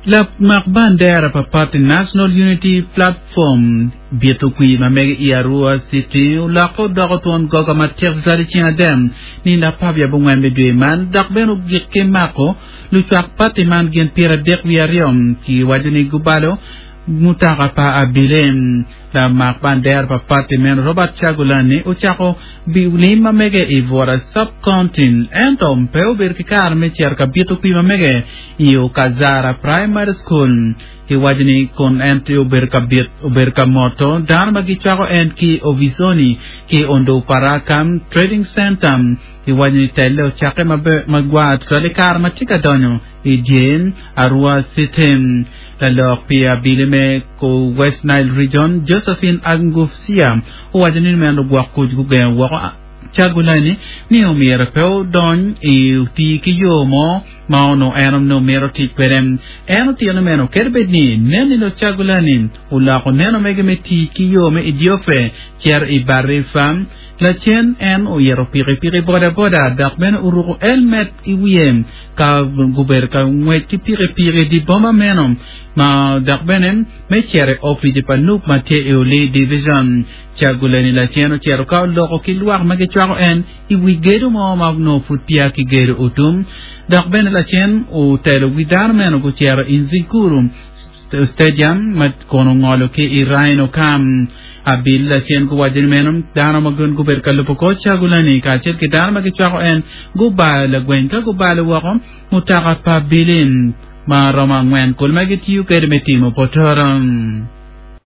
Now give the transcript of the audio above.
Lamak bandera pa pati National Unity Platform bito kwir ma mege i Arua City olokke odoko twon goga matek tutwal i ceng adem nino 14 me dwe man dok bene ogik ki mako lucwak pati man gin 32 ki waco ni gubalo mutoka pa abile. Lamak bandera pa pati meno Robert Kyagulanyi ocako lim ma mege i Bura Sub-County ento pe obedo ki kare me cito ka bito kwir ma mege i Okazara Primary School. Kiwaco ni kun en tye obedo ka bit obedo ka moto dano ma gicwako en ki Ovisoni ki Onduparaka Trading Center. Kiwaco ni telle ocakke maber magwar tutwal i kare ma tye ka donyo i dye Arua City. Lalok pi abili me West Nile Region, Josephine Angufsia owaco ni meno lugwok kuc gugengo woko Kyagulanyi ni omyero pe odony i oti ki yo mo ma onongo en onongo mito tic kwede. En otito ni meno kadi bed ni nen ni Kyagulanyi oloko neno mege me tic ki yo me Idiofe cito i Barifa, lacen en oyito pikipiki bodaboda dok bene oruko elmet i wiye ka gubedo ka ngwec ki pikipiki i dye boma meno ma dok bene me cito i opici pa nup ma tye i Olii Division. Kyagulanyi lacen ocito ka oloko ki lwak ma gicwako en i wi gedo mo ma onongo pud peya kigedo otum dok bene lacen otelo wi dano meno gucito i Nziguru Stadium ma kono ongolo ki i Rhino Camp. Abil lacen guwaco ni meno dano ma gin gubedo ka lubo kor Kyagulanyi kacel ki dano ma gicwako en gubayo lagweng ka gubalo woko mutoka pa Bilin ma romo angwen kulu ma gitiyo kwede me timo potoro.